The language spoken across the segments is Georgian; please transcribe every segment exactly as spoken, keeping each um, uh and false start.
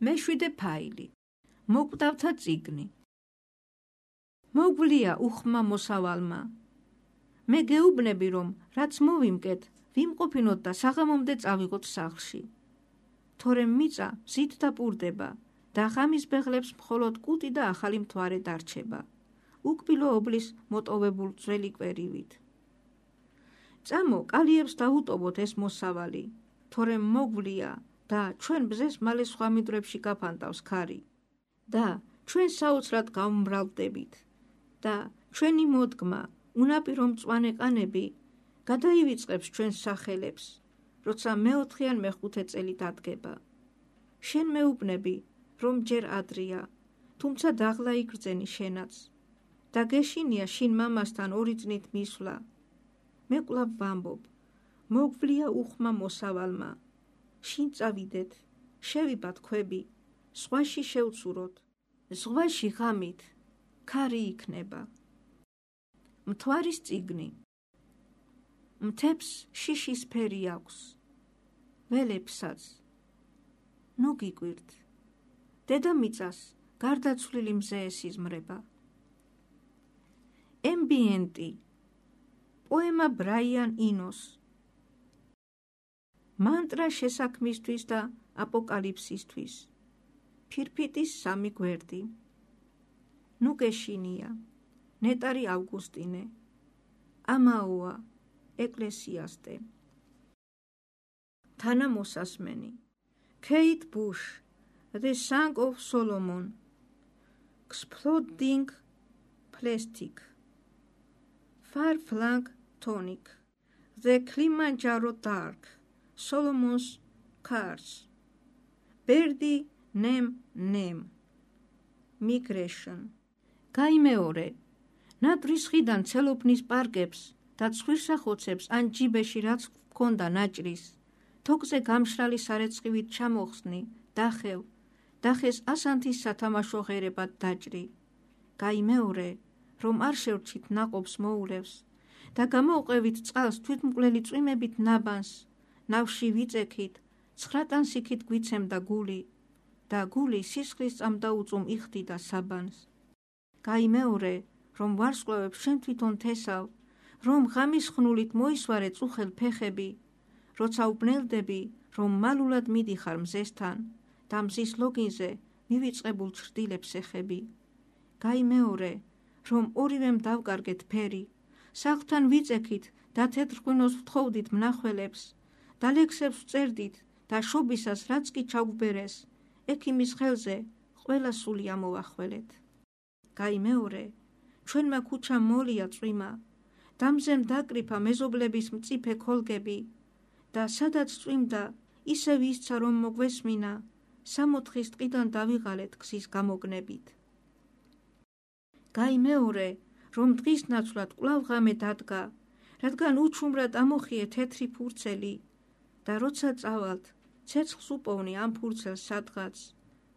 მეშვიდე ფაილი. მოკვდავთა წიგნი. მოგვლია უხმა მოსავალმა. მე გეუბნები, რომ რაც მოვიმკეთ, ვიმყოფინოთ და საღამომდე წავიღოთ სახლში. თორემ მიწა მზით დაპურდება და ღამის ბეღლებს მხოლოდ კუტი და ახალი მთვარე დარჩება, უკბილო ობლის მოტოვებულ ძველი კვერივით. წამო, კალიებს დაუტოვოთ ეს მოსავალი, თორემ მოგვლია და ჩვენ ბზეს მალე სხვა მინდვრებში გაფანტავს ქარი და ჩვენ საოცრად გავმრავლდებით და ჩვენი მოდგმა, უნაპირო მწვანე ყანები გადაივიწყებს ჩვენს სახელებს, როცა მეოთხე ან მეხუთე წელი დადგება. შენ მეუბნები, რომ ჯერ ადრია, თუმცა დაღლა იგრძენი შენაც და გეშინია შინ მამასთან ორი წნით მისვლა. მე კვლავ ვამბობ, მოგვლია უხმა მოსავალმა. შინ წავიდეთ, შევიბათ ქვები, ზღვაში შევცუროთ, ზღვაში ღამით ქარი იქნება. მთვარის წიგნი. მთებს შიშის ფერი აქვს, ველებსაც. ნუ გიკვირთ, დედამიწას გარდაცვლილი მზე ესიზმრება. ემბიენტი. პოემა ბრაიან ინოს. მანტრა შესაქმისთვის და აპოკალიფსისთვის. ფირფიტის სამი გვერდი. ნუ გეშინია. ნეტარი ავგუსტინე. ამაოა. ეკლესიასტე. თანამოსასმენი. Kate Bush, The Song of Solomon. Exploding Plastic. Far-flung Tonic. The Kilimanjaro Dark. Solomon's Cars. Birdie Name Name. Migration. გაიმეორე, ნატრის ხიდან ცელოფნის პარკებს და ცხვირსახოცებს ან ჯიბეში რაც ჰქონდა ნაჭრის, თოკზე გამშრალი სარეცხივით ჩამოხსნი, დახევ, დახეს ასანთის სათამაშო ღერებად დაჭრი. გაიმეორე, რომ არ შევრჩით ნაყოფს მოულევს და გამოვყევით წყალს თვითმკვლელი წვიმებით ნაბანს, ნავში ვიწექით, ცხრატანსიქით გვიცემდა გული და გული სისხლის წამდაუწუმ იხდიდა საბანს. გაიმეორე, რომ ვარსკვლავებს შენ თვითონ თესავ, რომ ღამის ხნულით მოისვარე წუხელ ფეხები, როცა უბნელდები, რომ მალულად მიდიხარ მზესთან და მზის ლოგინზე მივიწყებულ ჩრდილებს ეხები. გაიმეორე, რომ ორივემ დავკარგეთ ფერი, სახლთან ვიწექით და თეთრ ღვინოს ვთხოვდით მნახველებს და ლექსებს ვწერდით და შობისას რაც კი ჩაგვბერეს, ექიმის ხელზე ყველა სული ამოვახველეთ. გაიმეორე, ჩვენმა ქუჩამ მოლია წვიმა, დამზემ დაკრიფა მეზობლების მწიფე ქოლგები და სადაც წვიმდა, ისევ ისცა რომ მოგვესმინა, სამოთხის ტყიდან დავიღალეთ გზის გამოგნებით. გაიმეორე, რომ დღის ნაცვლად კვლავ ღამე დადგა, რადგან უჩუმრად ამოხიე თეთრი ფურცელი და როცა წავალთ, ცეცხლს უპოვნი ამ ფურცელს სადღაც,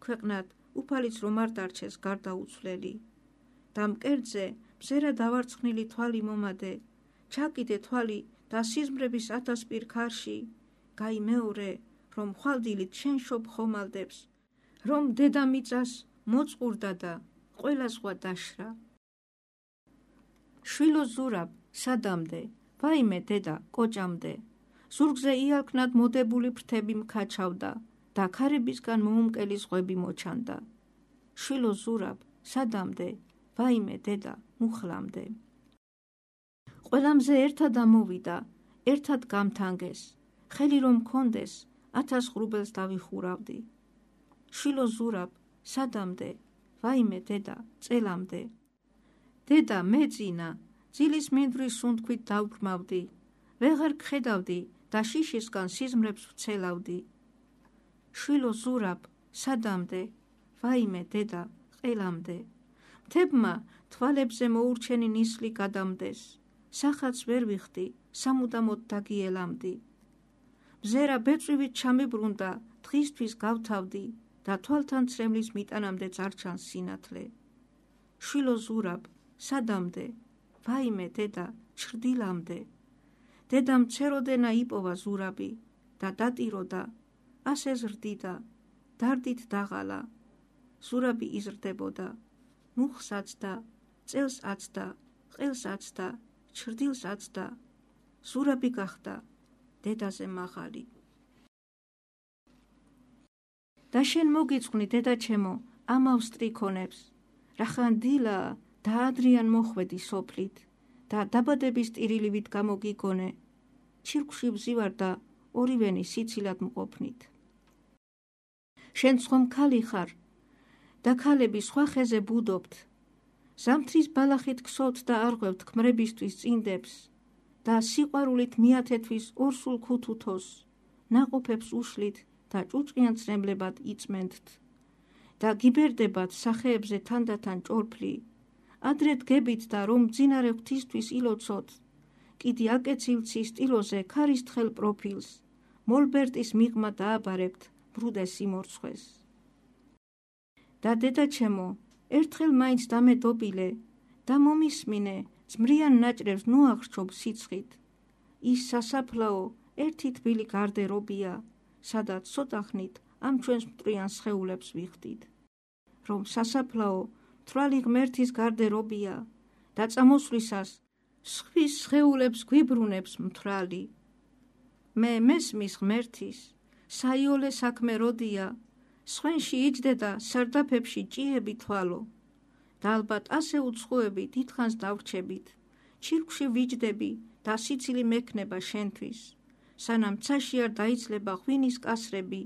ქვეყნად უფალიც რომ არ დარჩეს გარდაუცვლელი. და მკერდზე მზერა დავარცხნილი თვალი მომადე, ჩაკიდე თვალი და სიზმრების ათასპირ ქარში. გაიმეორე, რომ ხვალდილით შენ შობ ხომალდებს, რომ დედამიწას მოწყურდა და ყველა ზღვა დაშრა. შვილო ზურაბ, სადამდე, ვაიმე დედა, კოჭამდე, ზურგზე იალქნად მოდებული ფრთები მქაჩავდა და ქარებისგან მოუმკელი ზღვები მოჩანდა. შვილო ზურაბ, სადამდე, ვაიმე დედა, მუხლამდე. ყველამზე ერთად ამოვიდა, ერთად გამთანგეს, ხელი რომ მქონდეს, ათას ღრუბელს დავიხურავდი. შვილო ზურაბ, სადამდე, ვაიმე დედა, წელამდე. დედა, მეწინა, ძილის მინდვრის სუნთქვით დავბრმავდი, ვეღარ გხედავდი და შიშისგან სიზმრებს ვცელავდი. შვილო ზურაბ, სადამდე, ვაიმე დედა, ყელამდე. მთებმა თვალებზე მოურჩენი ნისლი გადამდეს, სახაც ვერ ვიხდი, სამუდამოდ დაგიელამდი. მზერა ბეწვივით ჩამიბრუნდა, დღისთვის გავთავდი და თვალთან ცრემლის მიტანამდე წარჩანს სინათლე. შვილო ზურაბ, სადამდე, ვაიმე დედა, ჩრდილამდე. დედამ ცეროდენა იპოვა ზურაბი და დატიროდა, ასე ზრდიდა დარდით დაღალა. ზურაბი იზრდებოდა, მუხს აცდა, წელს აცდა, ყელს აცდა, ჩრდილს აცდა. ზურაბი გახდა დედაზე მაღალი. და შენ მოგიწყვნი, დედაჩემო, ამავს ტრიქონებს, რახან დილაა და ადრიან მოხვედი სოფლით და დაბადების ტირილივით გამოგიგონე, ჩირკში ვზივარ და ორივენი სიცილად მყოფნით. შენ ხომ ქალი ხარ და ქალები სხვა ხეზე ბუდობთ, ზამთრის ბალახით ქსოთ და არღვევთ ქმრებისთვის წინდებს და სიყვარულით მიათეთვის ორსულ ქუთუთოს, ნაყოფებს უშლით და ჭუჭყიან ცნებლებად იწმენთ და გიბერდებათ სახეებზე თანდათან ჭორფლი, ადრე დგებით და რომ მძინარე ღვთისთვის ილოცოთ, კიდი აკეცილცის ტილოზე ქარის თხელ პროფილს, მოლბერტის მიღმა დააბარებთ ბრუდეს სიმორცხვეს. და დედაჩემო, ერთხელ მაინც დამედობილე და მომისმინე, ძმრიან ნაჭრებს ნუაღრჩობ სიცხით. ის სასაფლაო ერთი თბილი გარდერობია, სადაც ცოტახნით ამ ჩვენს მტვრიან სხეულებს ვიხდით. რომ სასაფლაო მთვრალი ღმერთის გარდერობია და წამოსვლისას სხვის სხეულებს გვიბრუნებს მთვრალი. მე მესმის ღმერთის, საიოლე საქმე როდია, სხვენში იჯდე და სარდაფებში ჭიები თვალო. და ალბათ ასე უცხოები დიდხანს დავრჩებით, ჩირკში ვიჯდები და სიცილი მექნება შენთვის, სანამ ცაში არ დაიცლება ღვინის კასრები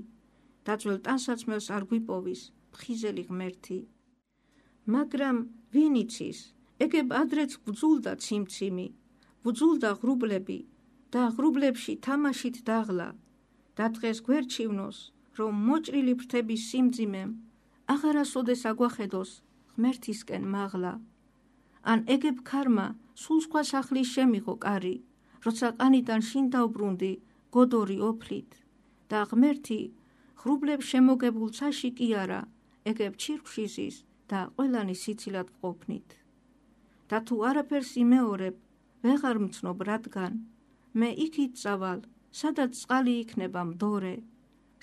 და ძველ ტანსაცმელს არ გვიპოვის ფხიზელი ღმერთი. მაგრამ ვინ იცის, ეგებ ადრეც ვძულდა ციმციმი, ვძულდა ღრუბლები და ღრუბლებში თამაშით დაღლა და დღეს გვერჩივნოს, რომ მოჭრილი ფრთების სიმძიმემ აღარასოდეს აგვახედოს ღმერთისკენ მაღლა. ან ეგებ ქარმა სულ სხვა სახლის შემიღო კარი, როცა ყანიდან შინ დავბრუნდი გოდორი ოფლით და ღმერთი ღრუბლებს შემოგებულ ცაში კი არა, ეგებ ჩირკში ზის და ყველანი სიცილად ვყოფნით. და თუ არაფერს იმეორებ, ვეღარ მცნობ რადგან, მე იქით წავალ, სადაც წყალი იქნება მდორე,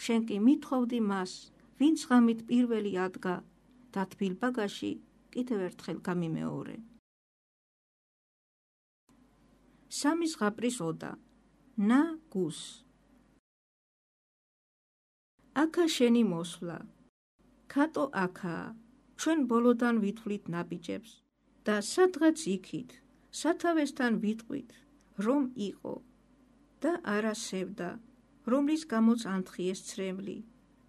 შენ კი მithხოვდი მას, ვინც ღამით პირველი ადგა და თბილ ბაგაში კიდევ ერთხელ გამიმეორე. სამი ზღაპრის ოდა. ნა გუს. აქა შენი მოსვლა. ქატო აქაა, ჩვენ ბოლოდან ვითვლით ნაბიჯებს და სადღაც იქით, სათავესთან ვიტყვით, რომ იყო და არა სევდა, რომლის გამოც ანთხიეს ცრემლი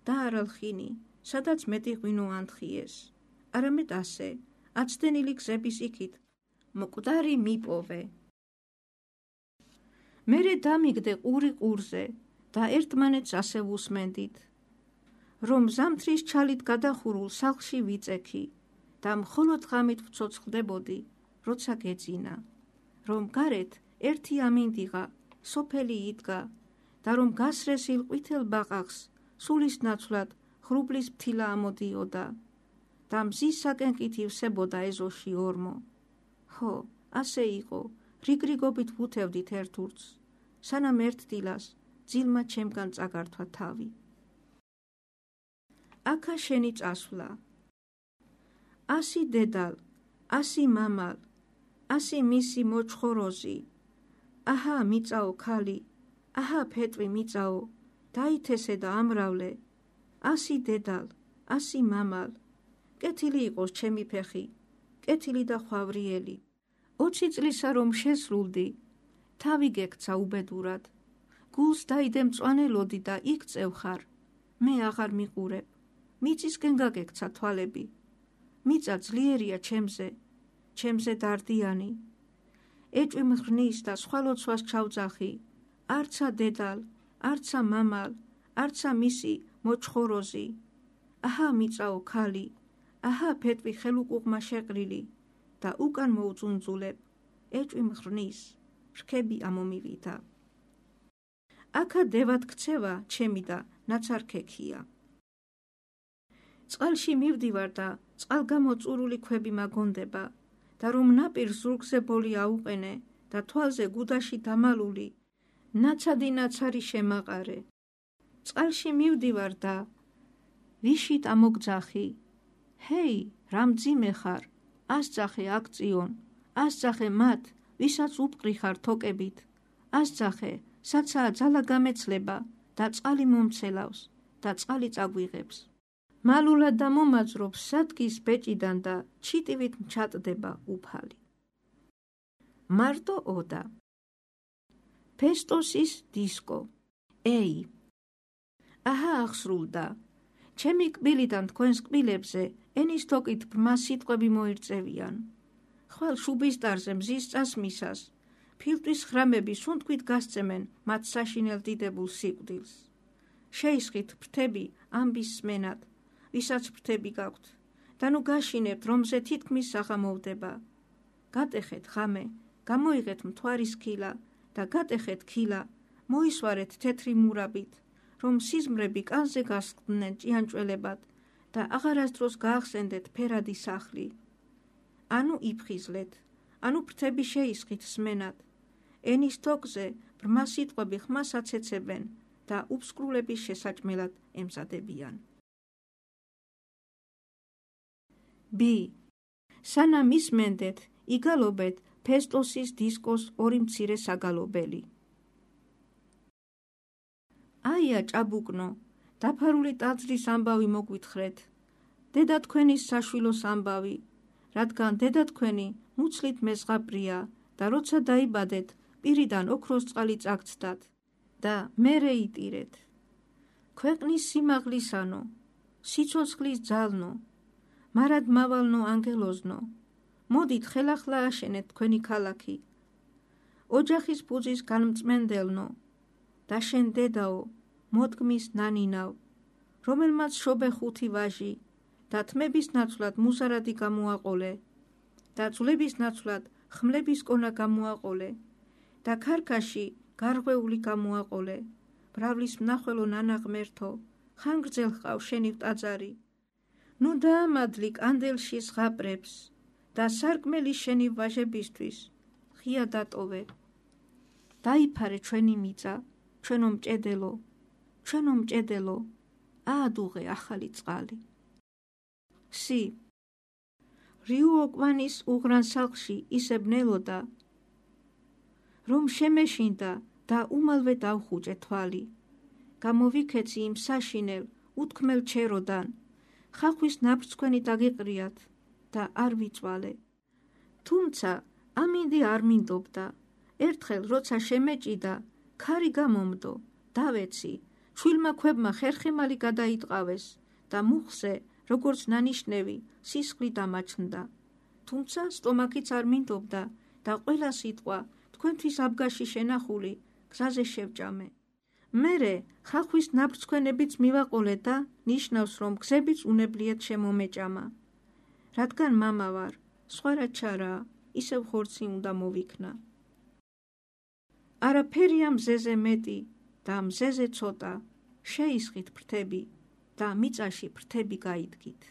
და არალხინი, სადაც მეტი ღვინო ანთხიეს, არამედ ასე, აცდენილი გზების იქით, მკვდარი მიპოვე. მერე დამიგდე ყური ყურზე და ერთმანეთს ასე ვუსმენდით, რომ ზამთრის ჩალით გადახურულ სახლში ვიწექი და მხოლოდ ღამით ვცოცხლდებოდი, როცა გეძინა, რომ გარეთ ერთი ამინდიღა, სოფელი იდგა და რომ გასრესილ ყვითელ ბაყაყს სულის ნაცვლად ღრუბლის ფთილა ამოდიოდა და მზის საკენკით ივსებოდა ეზოში ორმო. ხო, ასე იყო, რიგრიგობით ვუთევდით ერთურს, სანამ ერთ დილას ძილმა ჩემგან წაგართვა თავი. აქა შენი წასვლა. ასი დედალ, ასი მამალ, ასი მისი მოჩხოროზი, აჰა მიწაო ქალი, აჰა ფეტვი მიწაო, დაითესე და ამრავლე, ასი დედალ, ასი მამალ, კეთილი იყოს ჩემი ფეხი, კეთილი და ხვავრიელი. ოცი წლისა რომ შესრულდი, თავი გექცა უბედურად, გულს დაიდე მწვანელოდი და იქ წევხარ, მე აღარ მიყურებ, მიწისკენ გაგექცა თვალები, მიწა ძლიერია ჩემზე, ჩემზე დარდიანი, ეჭვი მღრნის და სხვა ლოცვას ჩავძახი, არცა დედალ, არცა მამალ, არცა მისი მოჩხოროზი, აჰა მიწაო ქალი, აჰა ფეტვი ხელუკუღმა შეყრილი და უკან მოუწუნძულებ, ეჭვი მღრნის, რქები ამომივითა. აქა დევად ქცევა ჩემი და ნაცარქექია. წყალში მივდივარ და წყალგამოწურული ქვები მაგონდება და რომ ნაპირ ზურგზე ბოლი აუყენე და თვალზე გუდაში დამალული, ნაცადი ნაცარი შემაყარე. წყალში მივდივარ და ვიშით ამოგძახი, ჰეი, რამძიმე ხარ, ასძახე აქციონ, ასძახე მათ, ვისაც უპყრი ხარ თოკებით, ასძახე, საცაა ძალა გამეცლება და წყალი მომცელავს და წყალი წაგვიღებს. მალულად და მომაძრობს სადგის ბეჭიდან და ჩიტივით ჩატდება უფალი. მარტო ოდა. ფესტოსის დისკო. ეი. აჰა აღსრულდა. ჩემი კბილიდან თქვენს კბილებზე ენის თოკით ბრმა სიტყვები მოირწევიან. ხვალ შუბისტარზე მზის წასმისას, ფილტვის ხრამები სუნთქვით გასწემენ მათ საშინელ დიდებულ სიკვდილს. შეისხით ფრთები ამბის სმენად, ვისაც ფრთები გაქვთ, და ნუ გაშინებთ, რომ მზე თითქმის საღამოვდება. გატეხეთ ღამე, გამოიღეთ მთვარის ქილა და გატეხეთ ქილა, მოისვარეთ თეთრი მურაბით, რომ სიზმრები კანზე გასხდნენ ჭიანჭველებად და აღარასდროს გაახსენდეთ ფერადი სახლი. ანუ იფხიზლეთ, ანუ ფრთები შეისხით სმენად. ენის თოკზე ბრმა სიტყვები ხმას აცეცებენ და უფსკრულების შესაჭმელად ემზადებიან. ბ. სანამ ისმენდეთ, იგალობეთ ფესტოსის დისკოს ორი მცირე საგალობელი. აია ჭაბუკნო, დაფარული ტაძრის ამბავი მოგვითხრეთ, დედა თქვენის საშვილოს ამბავი, რადგან დედა თქვენი მუცლით მეზღაბრია და როცა დაიბადეთ, პირიდან ოქროს წყალი წაგცდათ და მერე იტირეთ. ქვეყნის სიმაღლისანო, სიცოცხლის ძალნო, მარად მავალნო ანგელოზნო, მოდით ხელახლა აშენეთ თქვენი ქალაქი. ოჯახის ფუძის განმწმენდელნო, და შენ დედაო, მოდგმის ნანინავ, რომელმაც შობე ხუთი ვაჟი და თმების ნაცვლად მუზარადი გამოაყოლე და ძვლების ნაცვლად ხმლების კონა გამოაყოლე და ქარქაში გარღვეული გამოაყოლე, ბრავლის მნახველო ნანა ღმერთო, ხანგრძლ ჰყავ შენი ტაძარი. ნუ დაამადლი კანდელში ზღაპრებს და სარკმელი შენი ვაჟებისთვის ღია დატოვე. დაიფარე ჩვენი მიწა, ჩვენო მჭედელო, ჩვენო მჭედელო, აადუღე ახალი წყალი. სი. რიუოკვანის უღრან სახლში ისე ბნელოდა, რომ შემეშინდა და უმალვე დავხუჭე თვალი. გამოვიქეცი იმ საშინელ, უთქმელ ჩეროდან, ხახვის ნაფრცქვენი დაგიყრიათ და არ ვიწვალე. თუმცა ამინდი არ მინდობდა. ერთხელ როცა შემეჭიდა, ქარი გამომდო, დავეცი, ჩვილმა ქვებმა ხერხემალი გადაიტყავეს და მუხზე, როგორც ნანიშნევი, სისხლი დამაჩნდა. თუმცა სტომაქიც არ მინდობდა და ყველა სიტყვა თქვენთვის აბგაში შენახული გზაზე შევჭამე. მერე ხახვის ნაფრცქვენებიც მივაყოლე და ნიშნავს, რომ გზებიც უნებლიეთ შემომეჭამა. რადგან მამა ვარ, სხვა რა ჩარაა, ისევ ხორცი უნდა მოვიქნა. არაფერია მზეზე მეტი და მზეზე ცოტა, შეისხით ფრთები და მიწაში ფრთები გაიდგით.